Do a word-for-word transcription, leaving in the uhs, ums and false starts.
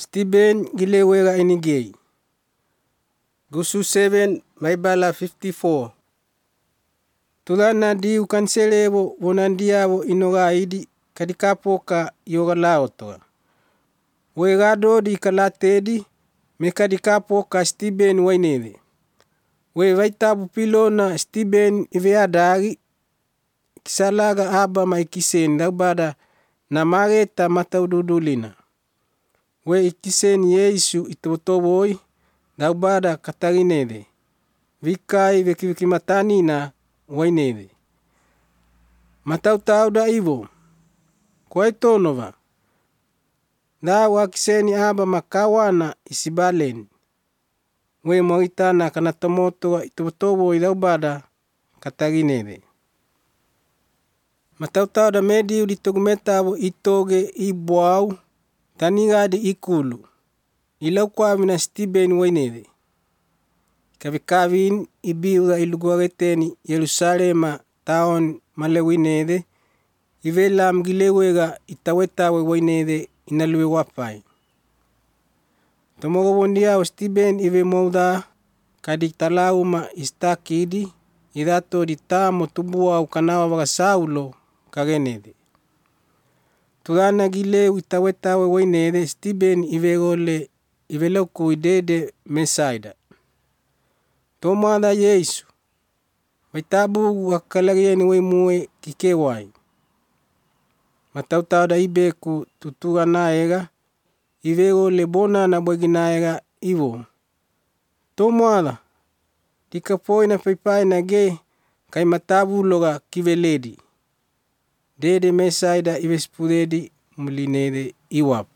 Stephen gilewega inigei. Gusu seven maibala fifty-four. Tulana di ukanselevo vonandiavo inogaidi kadikapoka yoga laotoa. Wegado di kalatedi mekadikapoka Stephen waineve. We vaitabu pilona Stephen iveadagi kisalaga aba maikisen daubada namageta mataududulina. We ikisen Yesu itobotoboi daubada kataginede. Vikai vekivikimatanina wainede. Matautau da ivo. Kwa itonova. Da wakiseni aba makawana isibalen. We moitana kanatomoto itobotoboi daubada kataginede. Matautau da medi uditogumetabo itoge ibuau tanigadi ikulu. Ilau kwa mina Stephen wainede. Kavikavin ibiuda iluguageteni Yerusalema taon malewinede. Ivelam gilewega itawetawe wainede inaluwe wapai. Tomogobondia Stephen ive mouda kaditalauma istakidi. Idato ditamo tubua ukanawa waga Saulo kagenede. Tulana gileu itawetawe wainede Stephen ivegole iveloku idede mesaida. Tomada Yesu. Waitabu wakalagieni waimue kikewai. Matautau da ibeku tutuga naega. Ivegole bona na bagi naega ivo. Tomada. Dikapoi na paipai na ge. Kai matabu loga kiveledi. Dede mesaida ivespudedi mulinede iwap.